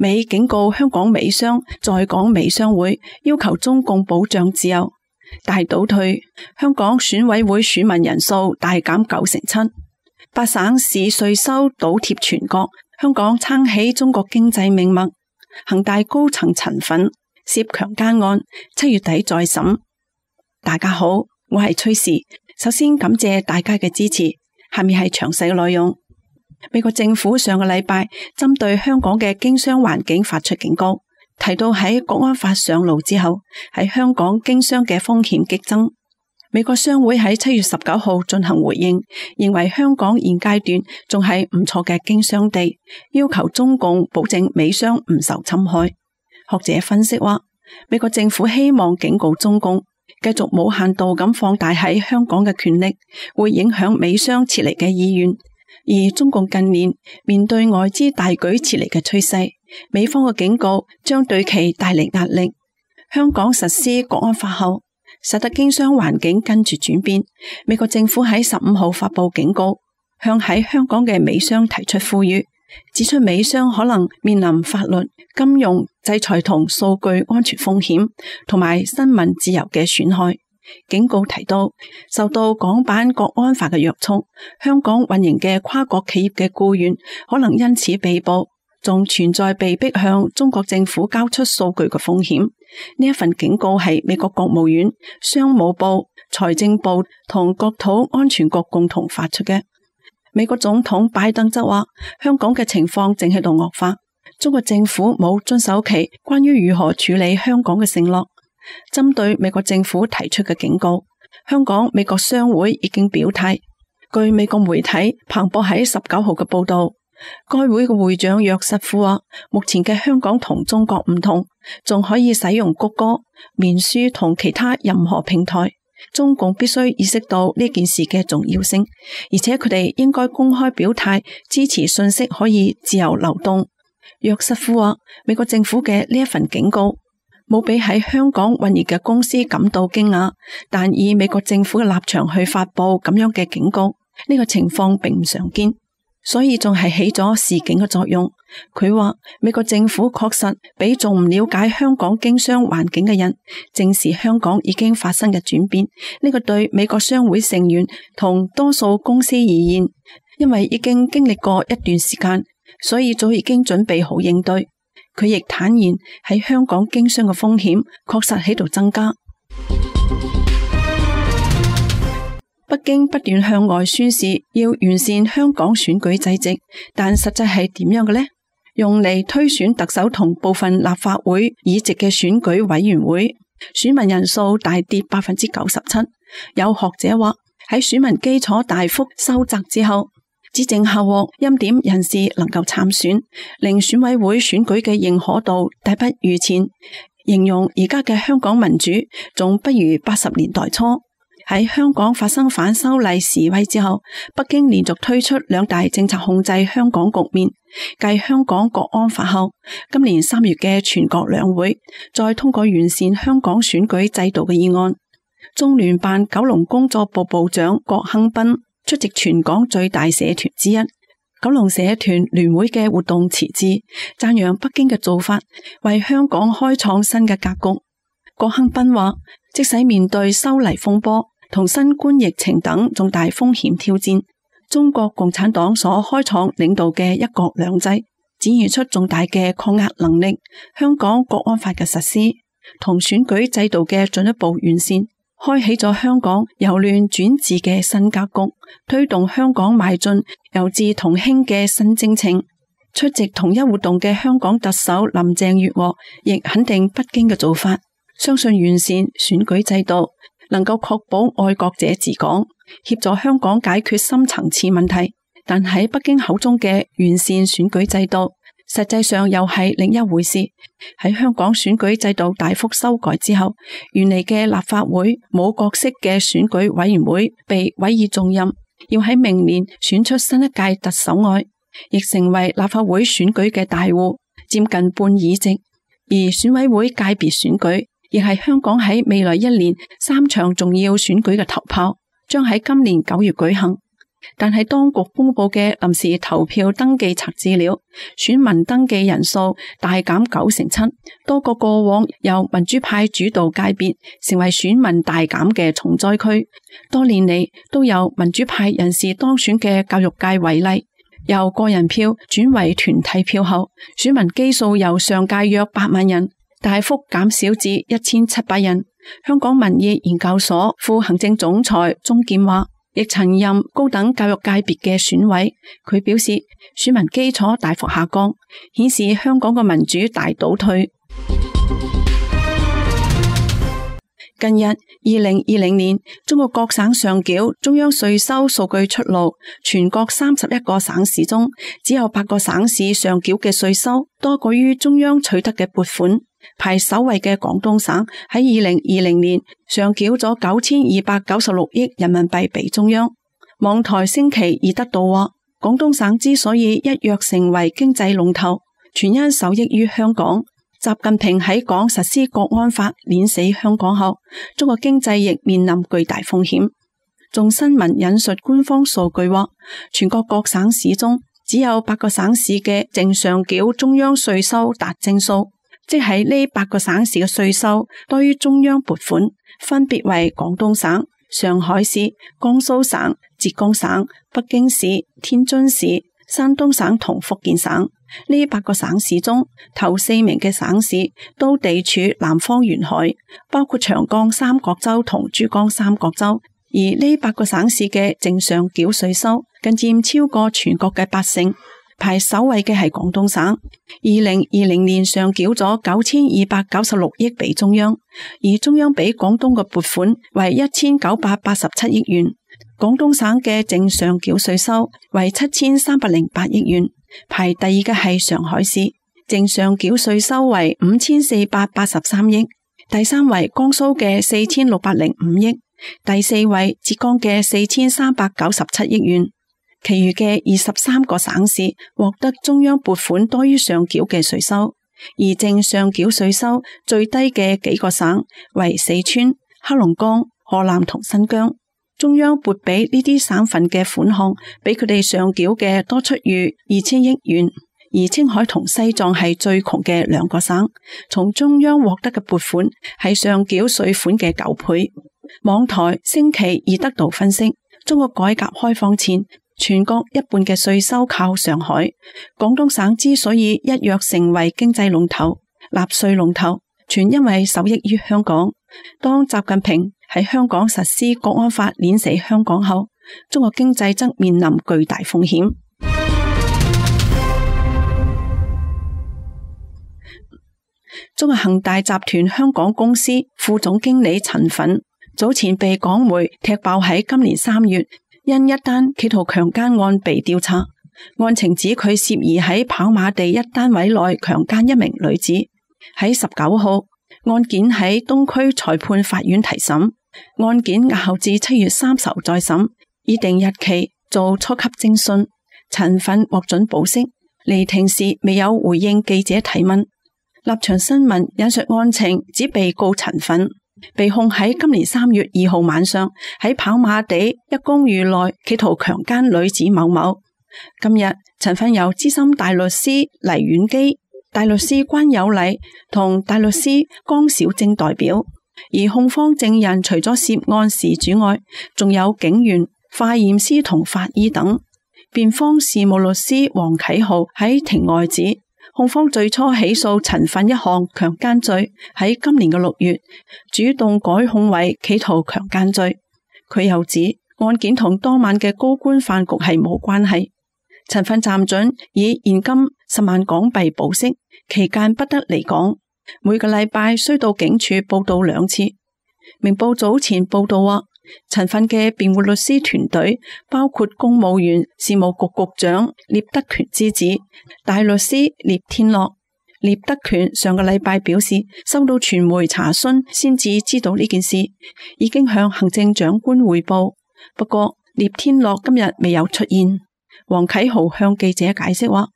美警告香港美商在港美商會要求中共保障自由，大倒退，香港選委會選民人數大減97%，八省市稅收倒貼全國，香港撐起中國經濟命脈，恒大高層陳粉涉強姦案7月底再審。大家好，我係崔氏，首先感謝大家嘅支持，下面係詳細嘅內容。美國政府上個禮拜針對香港嘅經商環境發出警告，提到喺國安法上路之後，喺香港經商嘅風險激增。美國商會喺7月19號進行回應，認為香港現階段仲係唔錯嘅經商地，要求中共保證美商唔受侵害。學者分析話，美國政府希望警告中共，繼續無限度咁放大喺香港嘅權力，會影響美商撤離嘅意願。而中共近年面對外資大舉撤離嘅趨勢，美方嘅警告將對其帶嚟壓力。香港實施國安法後，使得經商環境跟住轉變。美國政府喺15號發佈警告，向喺香港嘅美商提出呼籲，指出美商可能面臨法律、金融制裁同數據安全風險，同埋新聞自由嘅損害。警告提到，受到港版國安法嘅約束，香港運營嘅跨國企業嘅僱員可能因此被捕，仲存在被迫向中國政府交出數據嘅風險。呢一份警告係美國國務院、商務部、財政部同國土安全局共同發出嘅。美國總統拜登則話，香港嘅情況正喺度惡化，中國政府冇遵守其關於如何處理香港嘅承諾。針對美國政府提出嘅警告，香港美國商會已經表態。據美國媒體彭博喺19號嘅報道，該會嘅會長約瑟夫話，目前嘅香港同中國唔同，仲可以使用谷歌、面書同其他任何平台。中共必須意識到呢件事嘅重要性，而且佢哋應該公開表態支持信息可以自由流動。約瑟夫話，美國政府嘅呢一份警告冇俾喺香港運營嘅公司感到驚訝，但以美國政府嘅立場去發佈咁樣嘅警告，呢個情況並唔常見，所以仲係起咗示警嘅作用。佢話美國政府確實俾仲唔了解香港經商環境嘅人正視香港已經發生嘅轉變。呢個對美國商會成員同多數公司而言，因為已經經歷過一段時間，所以早已經準備好應對。佢亦坦言喺香港經商嘅風險確實喺度增加。北京不斷向外宣示要完善香港選舉制度，但實際係點樣嘅呢？用嚟推選特首同部分立法會議席嘅選舉委員會，選民人數大跌97%。有學者話，喺選民基礎大幅收窄之後，只剩下獲欽點人士能夠參選，令選委會選舉嘅認可度大不如前。形容而家嘅香港民主仲不如80年代初。喺香港發生反修例示威之後，北京連續推出2大政策控制香港局面。繼香港國安法後，今年3月嘅全國兩會再通過完善香港選舉制度嘅議案。中聯辦九龍工作部部長郭亨斌出席全港最大社團之一九龍社團聯會嘅活動辭職，讚揚北京嘅做法為香港開創新嘅格局。郭亨斌話，即使面對修例風波同新冠疫情等重大風險挑戰，中國共產黨所開創領導嘅一國兩制展現出重大嘅抗壓能力。香港國安法嘅實施同選舉制度嘅進一步完善，開啟咗香港由亂轉治嘅新格局，推動香港邁進由治同興嘅新征程。出席同一活動嘅香港特首林鄭月娥亦肯定北京嘅做法，相信完善選舉制度能夠確保愛國者治港，協助香港解決深層次問題。但喺北京口中嘅完善選舉制度，實際上又係另一回事。喺香港選舉制度大幅修改之後，原嚟嘅立法會冇角色嘅選舉委員會被委以重任，要喺明年選出新一屆特首外，亦成為立法會選舉嘅大戶，佔近半議席。而選委會界別選舉亦係香港喺未來1年3場重要選舉嘅頭炮，將喺今年9月舉行。但係當局公布嘅臨時投票登記冊資料，選民登記人數大減97%，多個過往由民主派主導界別成為選民大減嘅重災區。多年嚟都有民主派人士當選嘅教育界為例，由個人票轉為團體票後，選民基數由上屆約8萬人大幅減少至1700人。香港民意研究所副行政總裁鍾健話，亦曾任高等教育界別嘅選委，佢表示選民基礎大幅下降，顯示香港嘅民主大倒退。近日2020年中國各省上繳中央稅收數據出爐，全國31個省市中只有8個省市上繳嘅稅收多過於中央取得嘅撥款。排首位嘅廣東省喺2020年上繳咗9296億人民幣俾中央。網台星期二得到話，廣東省之所以一躍成為經濟龍頭，全因受益於香港。習近平喺港實施國安法碾死香港後，中國經濟亦面臨巨大風險。眾新聞引述官方數據話，全國各省市中只有8個省市嘅淨上繳中央稅收達正數，即係呢8個省市嘅稅收多於中央撥款，分別為廣東省、上海市、江蘇省、浙江省、北京市、天津市、山東省同福建省。呢8個省市中，頭4名嘅省市都地處南方沿海，包括長江三角洲同珠江三角洲。而呢8個省市嘅淨上繳稅收更佔超過全國嘅80%。排首位嘅係廣東省，2020年上繳咗9296億俾中央，而中央俾廣東嘅撥款為1987億元。廣東省嘅淨上繳稅收為7308億元，排第二嘅係上海市，淨上繳稅收為5483億，第三位江蘇嘅4605億，第四位浙江嘅4397億元。其餘嘅23個省市獲得中央撥款多於上繳嘅稅收，而淨上繳稅收最低嘅幾個省為四川、黑龍江、河南同新疆。中央撥俾呢啲省份嘅款項比佢哋上繳嘅多出逾2000億元，而青海同西藏係最窮嘅2個省，從中央獲得嘅撥款係上繳稅款嘅9倍。網台星期二得到分析，中國改革開放前，全國一半嘅稅收靠上海。廣東省之所以一躍成為經濟龍頭、納稅龍頭，全因為受益於香港。當習近平喺香港實施國安法碾死香港後，中國經濟則面臨巨大風險。中國恒大集團香港公司副總經理陳奮早前被港媒踢爆喺今年3月因一單企圖強姦案被調查，案情指佢涉疑喺跑馬地一單位內強姦一名女子。喺19號，案件喺東區裁判法院提審，案件押後至7月30號再審，擬定日期做初級偵訊。陳奮獲准保釋，離庭時未有回應記者提問。立場新聞引述案情指，被告陳奮被控喺今年3月2號晚上喺跑馬地一公寓內企圖強姦女子某某。今日陳奮由資深大律師黎婉基、大律師關有禮同大律師江小晶代表，而控方證人除咗涉案事主外，仲有警員、化驗師同法醫等。辯方事務律師黃啟豪喺庭外指，控方最初起訴陳奮一項強姦罪，喺今年嘅6月主動改控為企圖強姦罪。佢又指案件同當晚嘅高官飯局係冇關係。陳奮暫准以現金10萬港幣保釋，期間不得離港，每個禮拜需到警署報到2次。明報早前報道話，陳奮嘅辯護律師團隊包括公務員事務局局長聶德權之子大律師聶天樂。聶德權上個禮拜表示，收到傳媒查詢先至知道呢件事，已經向行政長官匯報。不過聶天樂今日未有出現。黃啟豪向記者解釋話，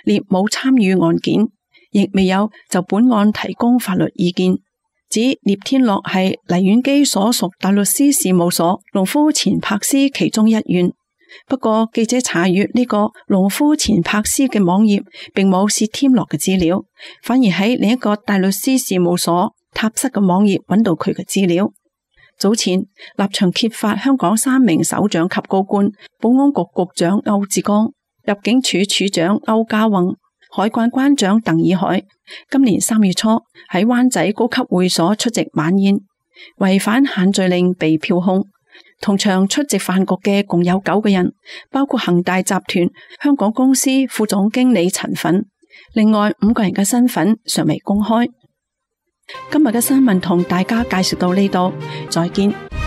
聶冇參與案件，亦未有就本案提供法律意見。指聶天樂係黎婉基所屬大律師事務所農夫錢柏斯其中一員。不過記者查閱呢個農夫錢柏斯嘅網頁，並冇薛添樂嘅資料，反而喺另一個大律師事務所塔室嘅網頁揾到佢嘅資料。早前立場揭發香港3名首長級高官，保安局局長歐志剛、入境處處長歐家宏、海關關長鄧以海，今年3月初喺灣仔高級會所出席晚宴，違反限聚令被票控。同場出席飯局嘅共有9個人，包括恒大集團香港公司副總經理陳奮，另外5個人嘅身份尚未公開。今日嘅新聞同大家介紹到呢度，再見。